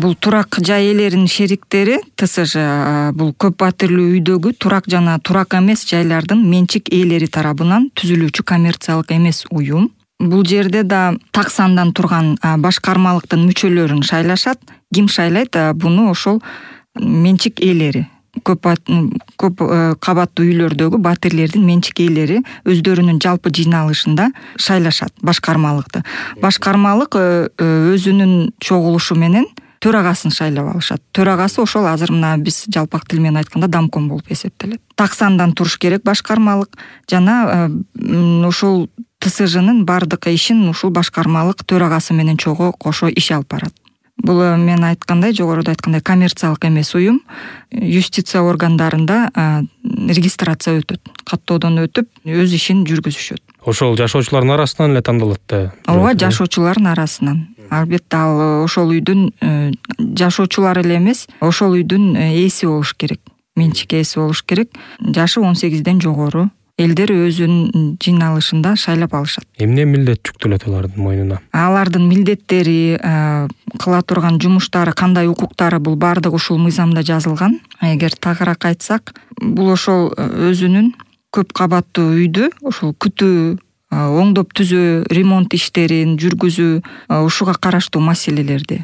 Бул турак жай ээлеринин шериктери ТСЖ бул көп батирлүү үйдөгү турак жана турак эмес жайлардын менчик ээлери тарабынан түзүлүүчү коммерциялык эмес уюм. Бул жерде да так сандан турган башкармалыктын мүчөлөрүн шайлашат. Ким шайлайт? Буну ошол менчик ээлери. Көп кабаттуу үйлөрдөгү батирлердин менчик ээлери өздөрүнүн жалпы жыйналышында шайлашат башкармалыкты. Башкармалык өзүнүн чогулушу менен төрагасын шайлап алышат. Төрагасы ошол азыр мына биз жалпак тил менен айтканда домком болуп эсептелет. Так сандан туруш керек башкармалык жана ушул ТСЖнын бардык ишин ушул башкармалык төрагасы менен чогуу кошо иш алып барат. Бул мен айткандай, жогоруда айткандай коммерциялык эмес уюм юстиция органдарында регистрация өтөт. Каттоодон өтүп, өз ишин жүргүзүшөт. Ошол жашоочулардын арасынан эле тандалат да. Ооба, жашоочулардын арасынан. Албетте ал ошол үйдүн жашоочулары эле эмес, ошол үйдүн ээси болуш керек. Менчик ээси болуш керек. Жашы 18ден жогору элдер өзүнүн жыйналышында шайлап алышат. Эмне милдет жүктөлөт алардын мойнуна? Алардын милдеттери, кыла турган жумуштары, кандай укуктары бул бардыгы ушул мыйзамда жазылган. Эгер тагыраак айтсак, бул ошол өзүнүн көп кабаттуу үйдү ошол күтүү, оңдоп түзөө, ремонт иштерин жүргүзүү, ушуга караштуу маселелерди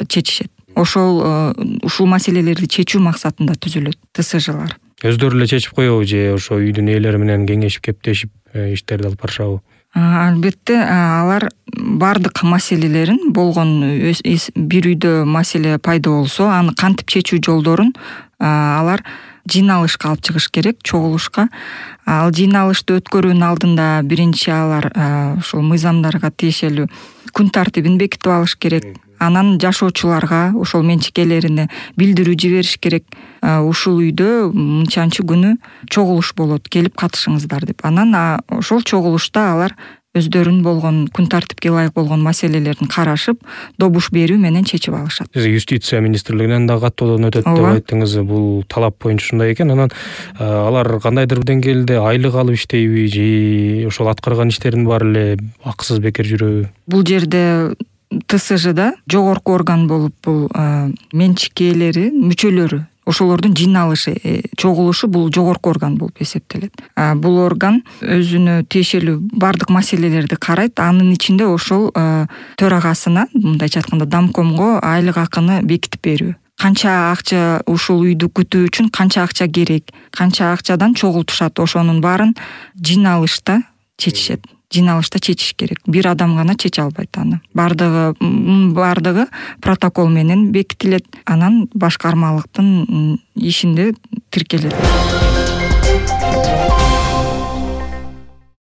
чечишет. Ушул маселелерди чечүү максатында түзүлөт ТСЖлар. Өздөрү эле чечип коебу же ошо үйдүн ээлери менен кеңешип кептешип иштерди алып барышабы? Албетте алар бардык маселелерин болгон бир үйдө маселе пайда болсо, аны кантип чечүү жолдорун алар жыйналышка алып чыгыш керек, чогулушка. Ал жыйналышты өткөрүүнүн алдында биринчи алар ушул мыйзамдарга тиешелүү күн тартибин бекитип алыш керек. Анан жашоочуларга ошол менчик ээлерине билдирүү жибериш керек. Ушул үйдө мынчанчы күнү чогулуш болот, келип катышыңыздар деп. Анан ошол чогулушта алар өздөрүнүн болгон күн тартипке ылайык болгон маселелерин карашып, добуш берүү менен чечип алышат. Сиз юстиция министрлигинен да каттоодон өтөт деп айттыңыз. Бул талап боюнча ушундай экен. Анан алар кандайдыр бир деңгээлде айлык алып иштейби же ошол аткарган иштердин баары эле акысыз бекер жүрөбү? Бул жерде ТСЖда жогорку орган болуп бул менчик ээлери, мүчөлөрү, ошолордун жыйналышы, чогулушу бул жогорку орган болуп эсептелет. Бул орган өзүнө тиешелүү бардык маселелерди карайт. Анын ичинде ошол төрагасына, мындайча айтканда домкомго айлык акыны бекитип берүү. Канча акча ушул үйдү күтүү үчүн канча акча керек, канча акчадан чогултушат, ошонун баарын жыйналышта чечишет. Жыйналышта чечиш керек. Бир адам гана чече албайт аны. Бардыгы протокол менен бекитилет. Анан башкармалыктын ишинде тиркелет.